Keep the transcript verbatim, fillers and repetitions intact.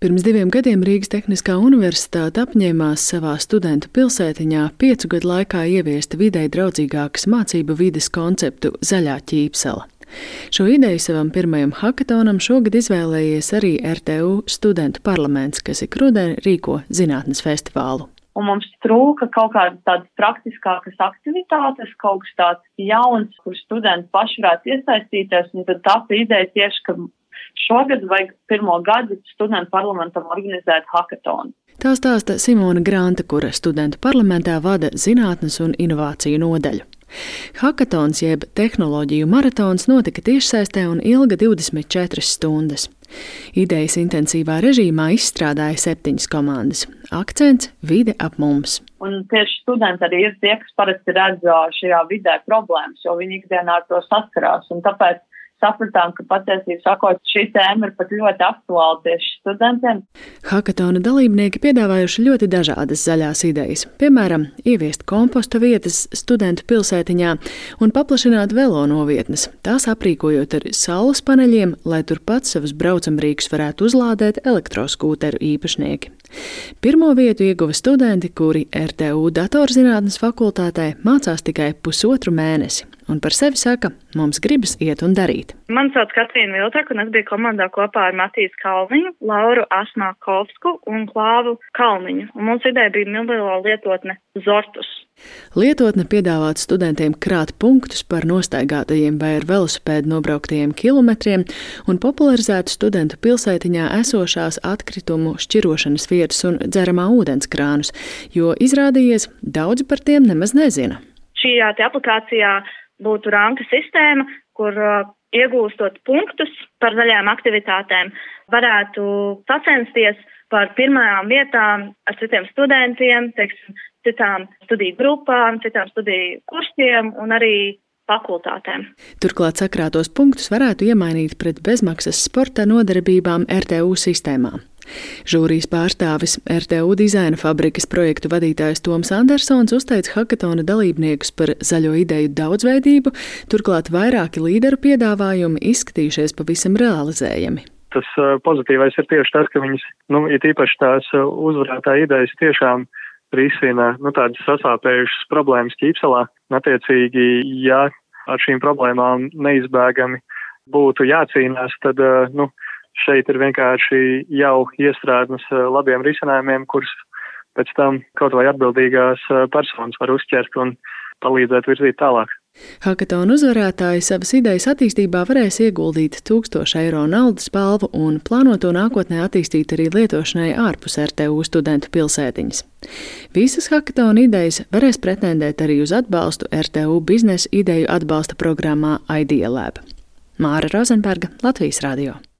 Pirms diviem gadiem Rīgas Tehniskā universitāte apņēmās savā studentu pilsētiņā piecu gadu laikā ieviest videi draudzīgākas mācību vides konceptu Zaļā ķīpsela. Šo ideju savam pirmajam hakatonam šogad izvēlējies arī R T U studentu parlaments, kas ik rudeni rīko zinātnes festivālu. Un mums trūka kaut kādas tādas praktiskākas aktivitātes, kaut kas tāds jauns, kur studenti paši varētu iesaistīties, un tad tā ideja tieši, ka šogad vajag pirmo gadu studentu parlamentam organizēt hakatonu. Tā stāsta Simona Granta, kura studentu parlamentā vada zinātnes un inovāciju nodaļu. Hakatons jeb tehnoloģiju maratons notika tiešsaistē un ilga divdesmit četras stundas. Idejas intensīvā režīmā izstrādāja septiņas komandas. Akcents – vide ap mums. Un tieši studenti arī ir tie, kas parasti redz šajā vidē problēmas, jo viņi ikdienā ar to saskarās. Un tāpēc sapratām, ka patiesībā sakot, šī tēma ir pat ļoti aktuāla tieši studentiem. Hakatona dalībnieki piedāvājuši ļoti dažādas zaļās idejas. Piemēram, ieviest komposta vietas studentu pilsētiņā un paplašināt velo novietnes, tās aprīkojot ar saules paneļiem, lai turpat savus braucamrīkus varētu uzlādēt elektroskūteru īpašnieki. Pirmo vietu ieguva studenti, kuri R T U datorzinātnes fakultātē mācās tikai pusotru mēnesi. Un par sevi saka, mums gribas iet un darīt. Mani sauc Katrīna Viltaka, un es biju komandā kopā ar Matīs Kalniņu, Lauru Asmākovsku un Klāvu Kalniņu. Un mums ideja bija mobilo lietotne Zortus. Lietotne piedāvāt studentiem krāt punktus par nostaigātajiem vai ar velosipēdu nobrauktajiem kilometriem un popularizētu studentu pilsētiņā esošās atkritumu šķirošanas vietas un dzeramā ūdens krānus, jo izrādījies, daudzi par tiem nemaz nezina. Šajā aplikācijā būtu ranka sistēma, kur uh, iegūstot punktus par zaļām aktivitātēm, varētu sacensties par pirmajām vietām ar citiem studentiem, teiksim, citām studiju grupām, citām studiju kursiem un arī fakultātēm. Turklāt sakrātos punktus varētu iemainīt pret bezmaksas sporta nodarbībām R T U sistēmā. Žūrijas pārstāvis R T U dizaina fabrikas projektu vadītājs Toms Andersons uzteica hakatona dalībniekus par zaļo ideju daudzveidību, turklāt vairāki līderu piedāvājumi izskatījušies pavisam realizējami. Tas uh, pozitīvais ir tieši tas, ka viņas, nu, ir īpaši tās uh, uzvarētā idejas tiešām risina, nu, tādas sasāpējušas problēmas ķīpselā. Attiecīgi, ja ar šīm problēmām neizbēgami būtu jācīnās, tad, uh, nu, šeit ir vienkārši jau iestrādnes labiem risinājumiem, kurus pēc tam kaut vai atbildīgās personas var uzķert un palīdzēt virzīt tālāk. Hakatona uzvarētāji savas idejas attīstībā varēs ieguldīt tūkstošu eiro naudas balvu un plānoto nākotnē attīstīt arī lietošanai ārpus R T U studentu pilsētiņas. Visas hakatona idejas varēs pretendēt arī uz atbalstu R T U biznesa ideju atbalsta programmā Idea Lab. Māra Rozenberga, Latvijas radio.